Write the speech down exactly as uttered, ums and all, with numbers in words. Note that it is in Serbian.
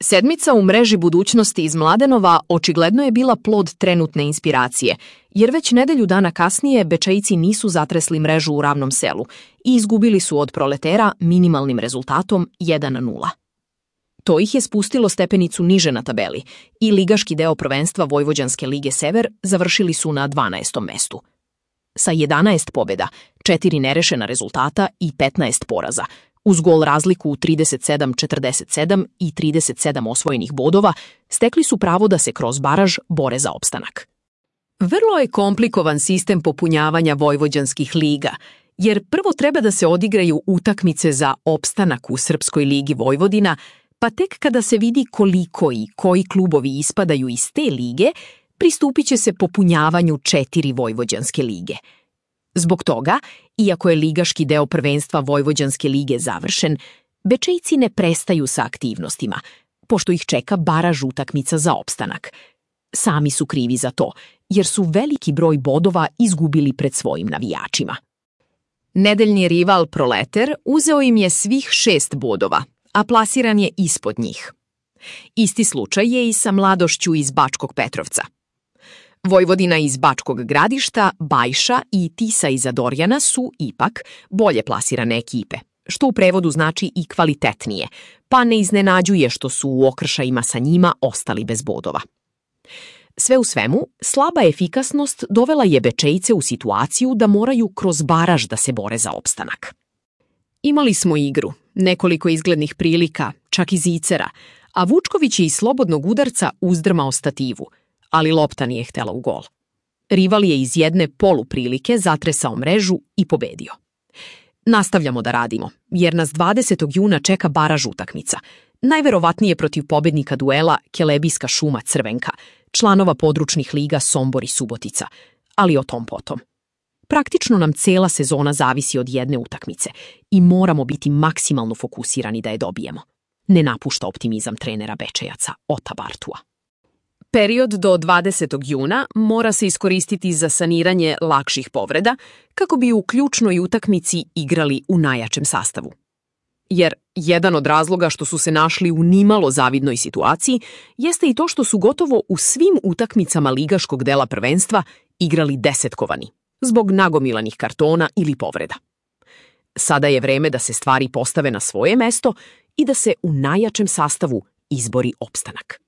Sedmica u mreži budućnosti iz Mladenova očigledno je bila plod trenutne inspiracije, jer već nedelju dana kasnije Bečejci nisu zatresli mrežu u Ravnom Selu i izgubili su od Proletera minimalnim rezultatom jedan nula. To ih je spustilo stepenicu niže na tabeli i ligaški deo prvenstva Vojvođanske lige Sever završili su na dvanaestom mestu. Sa jedanaest pobjeda, četiri nerešena rezultata i petnaest poraza, uz gol razliku trideset sedam četrdeset sedam i trideset sedam osvojenih bodova, stekli su pravo da se kroz baraž bore za opstanak. Vrlo je komplikovan sistem popunjavanja vojvođanskih liga, jer prvo treba da se odigraju utakmice za opstanak u Srpskoj ligi Vojvodina, pa tek kada se vidi koliko i koji klubovi ispadaju iz te lige, pristupit će se popunjavanju četiri Vojvođanske lige. Zbog toga, iako je ligaški deo prvenstva Vojvođanske lige završen, Bečejci ne prestaju sa aktivnostima, pošto ih čeka baraž utakmica za opstanak. Sami su krivi za to, jer su veliki broj bodova izgubili pred svojim navijačima. Nedeljni rival Proleter uzeo im je svih šest bodova, a plasiran je ispod njih. Isti slučaj je i sa Mladošću iz Bačkog Petrovca. Vojvodina iz Bačkog Gradišta, Bajša i Tisa iz Adorjana su, ipak, bolje plasirane ekipe, što u prevodu znači i kvalitetnije, pa ne iznenađuje što su u okršajima sa njima ostali bez bodova. Sve u svemu, slaba efikasnost dovela je Bečejce u situaciju da moraju kroz baraž da se bore za opstanak. Imali smo igru, nekoliko izglednih prilika, čak i zicera, a Vučković je iz slobodnog udarca uzdrmao stativu, ali lopta nije htela u gol. Rival je iz jedne poluprilike zatresao mrežu i pobedio. Nastavljamo da radimo, jer nas dvadesetog juna čeka baraž utakmica, najverovatnije protiv pobednika duela Kelebijska Šuma Crvenka, članova područnih liga Sombor i Subotica, ali o tom potom. Praktično nam cela sezona zavisi od jedne utakmice i moramo biti maksimalno fokusirani da je dobijemo. Ne napušta optimizam trenera Bečejaca Ota Bartua. Period do dvadesetog juna mora se iskoristiti za saniranje lakših povreda kako bi u ključnoj utakmici igrali u najjačem sastavu. Jer jedan od razloga što su se našli u nimalo zavidnoj situaciji jeste i to što su gotovo u svim utakmicama ligaškog dela prvenstva igrali desetkovani, zbog nagomilanih kartona ili povreda. Sada je vreme da se stvari postave na svoje mesto i da se u najjačem sastavu izbori opstanak.